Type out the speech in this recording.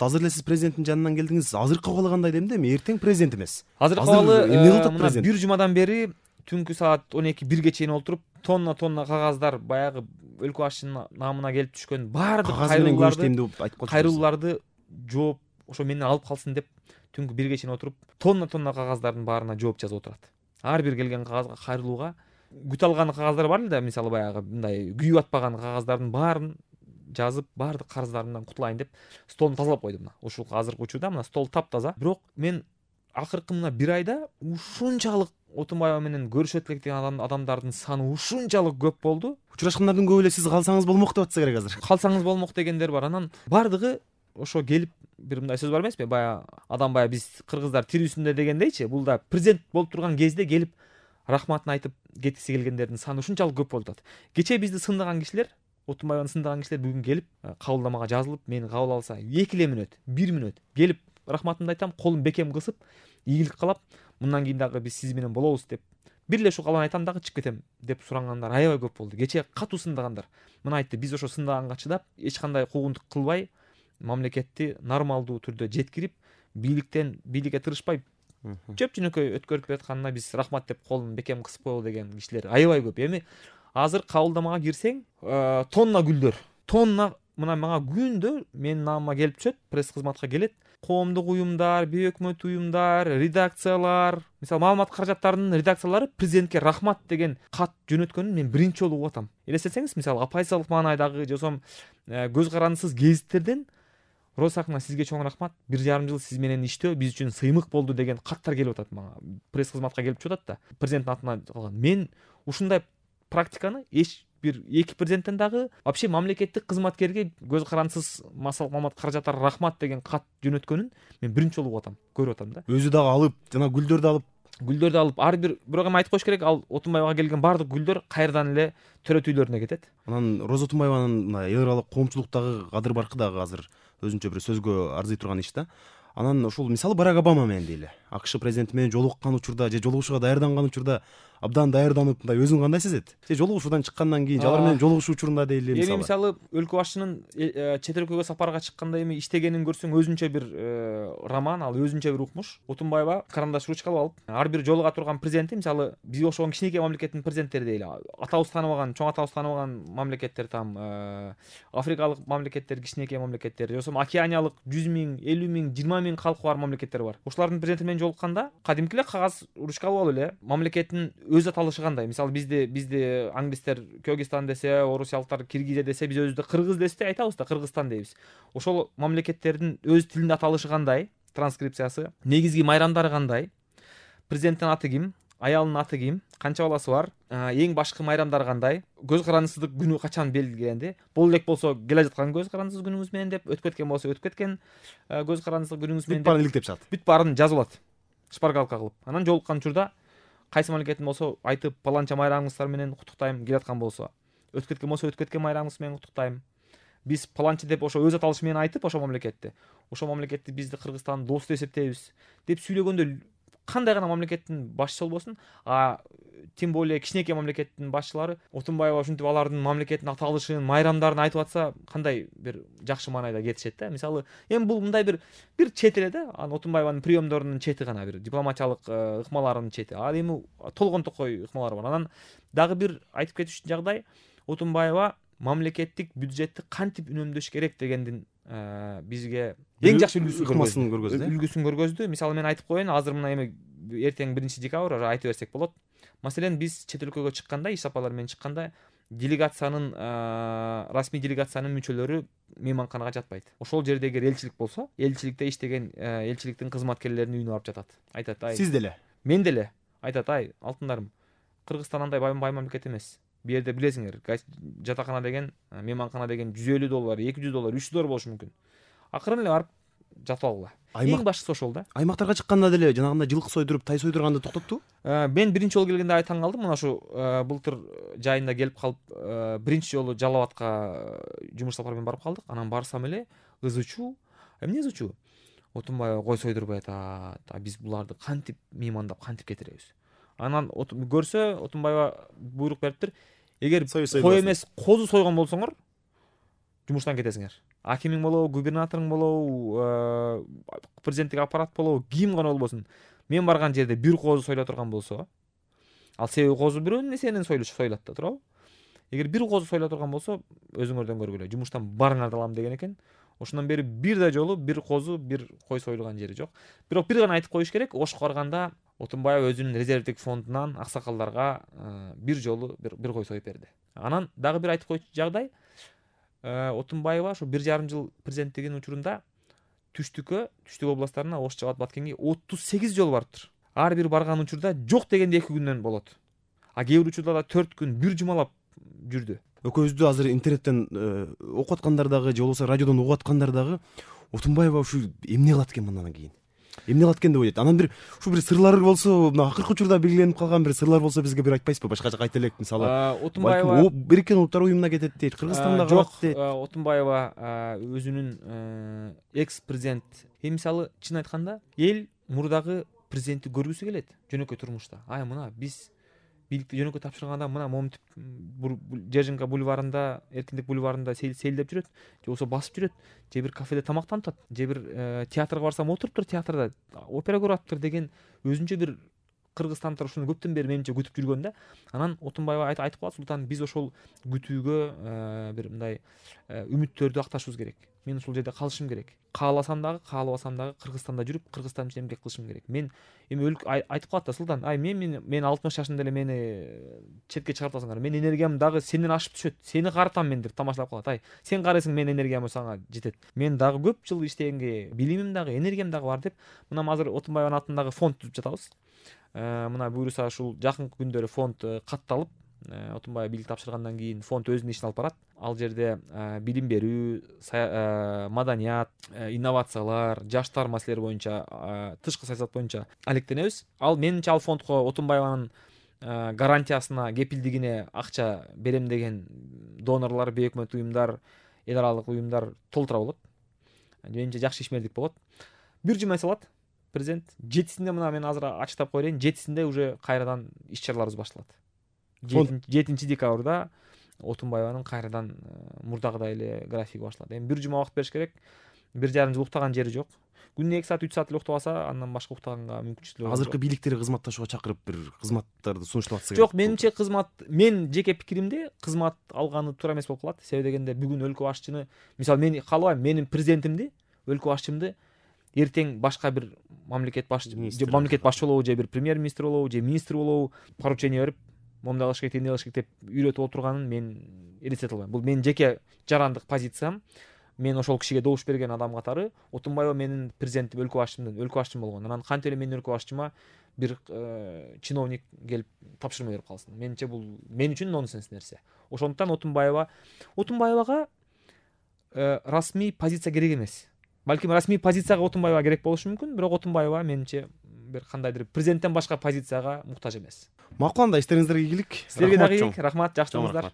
азыр эле сиз президенттин жанынан келдиңиз. Азыркы абалы кандай дейм да, эми эртең президент эмес. Азыркы абалы эмне кылып атат мына президент? бир жумадан бери түнкү саат 12-1ге чейин олтуруп, тонна кагаздар, баягы өлкө башчынын намына келип түшкөн баардык кайрылууларды жооп ошо менден алып калсын деп түнкү 1ге чейин отуруп, тонна кагаздардын баарына жооп жазып отурат. Ар бир келген кагазга, кайрылууга күтө алган кагаздар бар эле да, мисалы баягы мындай күйүп атпаган кагаздардын баарын жазып, баардык карыздарымдан кутулайын деп столду тазалап койдум. Мына ушул азыркы учурда мына стол таптаза. Бирок мен акыркы мына 1 айда ушунчалык Отунбаева менен көрүшөт элек деген адамдардын саны ушунчалык көп болду. Учурашкандардын көбү эле сиз калсаңыз болмок деп атса керек азыр. Калсаңыз болмок дегендер бар. Анан баардыгы ошо келип, бир мындай сөз бар эмеспи? Адам биз кыргыздар тирүүсүндө дегендейчи, бул да президент болуп турган кезде келип рахматын айтып кеткиси келгендердин саны ушунчалык көп болуп атат. Кечээ бизди сындаган кишилер, Отунбаеваны сындаган кишилер бүгүн келип кабылдамага жазылып, мени кабыл алса 2 мүнөт, 1 мүнөт келип рахматымды айтам, колум бекем кысып, ийгилик кылап, мындан кийин дагы биз сиз менен болобуз деп, бир эле ушул калган айтам дагы чыгып кетем деп сурангандар аябай көп болду. Кечээ катуу сындагандар. Мына айтты, биз ошо сындаганга чыдап, эч кандай куугунтук кылбай, мамлекетти нормалдуу түрдө жеткирип, бийликке тырышпай, чөп-чөнөкөй өткөрүп жатканына биз рахмат деп колун бекем кысып коелу деген кишилер аябай көп. Эми азыр кабылдамага кирсең, тонна гүлдөр, тонна мына мага күндө менин намыма келип түшөт, пресс кызматка келет. Коомдук уюмдар, бейөкмөт уюмдар, редакциялар, мисалы маалымат каражаттарынын редакциялары президентке рахмат деген кат жөнөткөнүн мен биринчи жолу угуп атам. Элестетсеңиз, мисалы оппозициялык маанайдагы жосом көз карандысыз гезиттерден Росакна сизге чоң рахмат, 1,5 жыл сиз менен иштөө биз үчүн сыймык болду деген каттар келип атат мага. Пресс кызматка келип чыгып атат да. Президенттин атынан калган. Мен ушундай практиканы эч бир эки президенттен дагы вообще мамлекеттик кызматкерге көз карандысыз маалымат каражаттары рахмат деген кат жөнөткөнүн мен биринчи жолу угуп атам, көрүп атам да. Өзү дагы алып, жана гүлдөрдү алып, ар бир бирок эми айтып коюш керек, ал Отунбаевага келген баардык гүлдөр кайрадан эле төрөт үйлөрүнө кетет. Анан Роза Отунбаеванын мына эл аралык коомчулуктагы кадыр баркы дагы азыр өзүнчө бир сөзгө арзый турган иш да. Анан ушул мисалы Барак Обама менен дейли. АКШ президенти менен жолуккан учурда же жолугушууга даярданган учурда абдан даярданып, мындай өзүн кандай сезет? Же жолугушуудан чыккандан кийин, алар менен жолугушуу учурунда дейли мисалы. Эми мисалы өлкө башчынын чет өлкөгө сапарга чыкканда эми иштегенин көрсөң, өзүнчө бир роман, ал өзүнчө бир укмуш. Отунбаева карандаш ручка алып, ар бир жолуга турган президенти, мисалы биз ошого кичинекей мамлекеттин президенттери дейли. Атабыз тааныбаган, чоң атабыз тааныбаган мамлекеттер там, Африкалык мамлекеттер, кичинекей мамлекеттер, жосом океаниялык 100 миң, 50 миң, 20 миң калкы бар мамлекеттер бар. Ошолардын президенти менен жолукканда кадимки эле кагаз ручка алып эле мамлекеттин өз аталышы кандай? Мисалы бизди англистер Кыргызстан десе, орусиялыктар Киргизия десе, биз өзүбүздө Кыргыз десе айтабыз да, Кыргызстан дейбиз. Ошол мамлекеттердин өз тилинде аталышы кандай? Транскрипциясы, негизги майрамдары кандай? Президенттин аты ким? Аялынын аты ким? Канча баласы бар? Эң башкы майрамдары кандай? Көз карандысыздык күнү качан белгиленди? Бул элек болсо келе жаткан көз карандысыз күнүңүз менен деп, өтүп кеткен болсо өтүп кеткен көз карандысыз күнүңүз менен деп. Бүт баарын иликтеп чыгат. Бүт баарын жазып алат. Шпаргалка кылып. Анан жолуккан учурда кайсы мамлекеттин болсо айтып, паланча майрамыңыздар менен куттуктайм, келаткан болсо. Өтүп кеткен болсо өтүп кеткен майрамыңыз менен куттуктайм. Биз паланча деп ошо өз аталышы менен айтып, ошо мамлекетти бизди Кыргызстан дос деп эсептейбиз деп сүйлөгөндө кандай гана мамлекеттин башчысы болбосун, тем более кичинекей мамлекеттин башчылары Отунбаева ушинтип алардын мамлекеттин аталышын, майрамдарын айтып атса, кандай бир жакшы маанайда кетишет да. Мисалы, эми бул мындай бир чет эле да, Отунбаеванын приемдорунун чети гана, бир дипломатиялык ыкмаларынын чети. Эми толгон токой ыкмалары бар. Анан дагы бир айтып кетиш жагдай, Отунбаева мамлекеттик бюджетти кантип үнөмдөш керек дегендин бизге эң жакшы үлгүсүн көргөздү. Мисалы мен айтып коеюн, азыр мына эми эртең 1 декабрь айтып берсек болот. Маселен, биз чет өлкөгө чыкканда, иш сапарлар менен чыкканда, делегациянын, расмий делегациянын мүчөлөрү мейманканага жатпайт. Ошол жерде эгер элчилик болсо, элчиликте иштеген элчиликтин кызматкерлеринин үйүнө барып жатат. Айтат, сиз деле, мен деле. Айтат, алтындарым, Кыргызстан андай бай мамлекет эмес. Бу жерде билесиңер, жатакана деген, мейманкана деген $150, $200, $300 болушу мүмкүн. Акырын эле барып жатып алгыла. Эң башкысы ошол да. Аймактарга чыкканда деле жанагындай жылкы сойдуруп, тай сойдурганды токтотту? Мен биринчи жолу келгенде таң калдым. Мына ушу былтыр жайында келип калып, биринчи жолу Жалал Абадка жумуш сапары менен барып калдык. Анан барсам эле ызычуу. Эмне ызычуу? Отунбаева кой сойдурбай атат. Биз буларды кантип меймандап, кантип кетиребиз? Анан көрсө, Отунбаева буйрук бериптир. Эгер кой эмес, козу сойгон болсоңор, жумуштан кетесиңер. Акимиң болобу, губернаторуң болобу, президенттик аппарат болобу, ким гана болбосун, мен барган жерде бир козу сойло турган болсо, ал себеби козу бирөө нерсени сойлот да, туурабы? Эгер бир козу сойло турган болсо, өзүңөрдөн көргүлө, жумуштан барыңарды алам деген экен. Ошондон бери бир да жолу бир козу, бир кой сойлган жери жок. Бирок бир гана айтып коюш керек, Ошко барганда Отунбаев өзүнүн резервдик фондунан аксакалдарга бир жолу бир кой союп берди. Анан дагы бир айтып коючу жагдай, Отунбаева ушу 1,5 жыл президенттигинин учурунда түштүк областтарына Ош, Жабат, Баткенге 38 жолу барыптыр. Ар бир барган учурда жок дегенде 2 күндөн болот. А кээ бир учурда да 4 күн, бир жумалап жүрдү. Экөөбүздү азыр интернеттен окуп аткандар дагы же болбосо радиодон угуп аткандар дагы Отунбаева ушу эмне кылат экен мындан кийин? Эмне кылат экен деп ойлойт. Анан бир сырлар болсо, мына акыркы учурда белгиленип калган бир сырлар болсо бизге бир айтпайсызбы? Башка жака айта элек, мисалы. Отунбаева Бириккен Улуттар уюмуна кетет дейт, Кыргызстанда калат дейт. Отунбаева өзүнүн экс-президент, мисалы чын айтканда, эл мурдагы президентти көргүсү келет жөнөкөй турмушта. Мына биз бийликти жөнөкөй тапшырганда мына момунтип Жержинка бульварында, Эркиндик бульварында сейилдеп жүрөт, же болбосо басып жүрөт, же бир кафеде тамактанып атат, же бир театрга барсам отуруптур театрда, опера көрүп атыптыр деген өзүнчө бир кыргызстандыктар ушуну көптөн бери менимче күтүп жүргөн да. Анан Отунбаева айтып калат, Султан, биз ошол күтүүгө бир мындай үмүттөрдү акташыбыз керек. Мен ушул жерде калышым керек. Кааласам дагы, каалабасам дагы Кыргызстанда жүрүп, Кыргызстан үчүн эмгек кылышым керек. Мен эми айтып калат да, Султан, мен 60 жашымда эле мени четке чыгарып атасыңар. Мен энергиям дагы сенден ашып түшөт. Сени карытам мен деп тамашалап калат. Сен карайсың, мен энергиям сага жетет. Мен дагы көп жыл иштегенге билимим дагы, энергиям дагы бар деп, мына азыр Отунбаеванын атындагы фонд түзүп жатабыз. Мына буюрса ушул жакынкы күндөрү фонд катталып, Отунбаев бийлик тапшыргандан кийин фонд өзүнүн ишин алып барат. Ал жерде билим берүү, маданият, инновациялар, жаштар маселелери боюнча, тышкы саясат боюнча алектенебиз. Ал менимче ал фондко Отунбаеванын гарантиясына, кепилдигине акча берем деген донорлор, бейөкмөт уюмдар, эл аралык уюмдар толтура болот. Менимче жакшы ишмердик болот. Бир жума салат президент. 7-синде мына мен азыр ачыктап коеюн, 7-синде уже кайрадан иш-чараларыбыз башталат. 7 декабрда Отунбаеванын кайрадан мурдагыдай эле графиги башталат. Эми бир жума убакыт бериш керек. 1,5 жыл уктаган жери жок. Күнүнө 2 саат, 3 саат эле уктап алса, андан башка уктаганга мүмкүнчүлүгү жок. Азыркы бийликтери кызматташууга чакырып бир кызматтарды сунуштап атса. Жок, менимче кызмат, мен жеке пикиримде кызмат алганы туура эмес болуп калат. Себеби дегенде бүгүн өлкө башчыны, мисалы мен каалабайм, менин президентимди, өлкө башчымды эртең башка бир мамлекет башчы болобу, же бир премьер-министр болобу, же министр болобу, поручение берип, момундай кылыш керек, эмне кылыш керек деп үйрөтүп отурганын мен элестете албайм. Бул менин жеке жарандык позициям. Мен ошол кишиге добуш берген адам катары Отунбаева менин президентим, өлкө башчым болгон. Анан кантип эле менин өлкө башчыма бир чиновник келип тапшырма берип калсын. Менимче бул мен үчүн нонсенс нерсе. Ошондуктан Отунбаевага расмий позиция керек эмес. Балким расмий позицияга Отунбаева керек болушу мүмкүн, бирок Отунбаева менимче бир кандайдыр президенттен башка позицияга муктаж эмес. Макул, анда иштериңиздерге ийгилик. Силерге дагы ийгилик, рахмат, жакшы болуңуздар.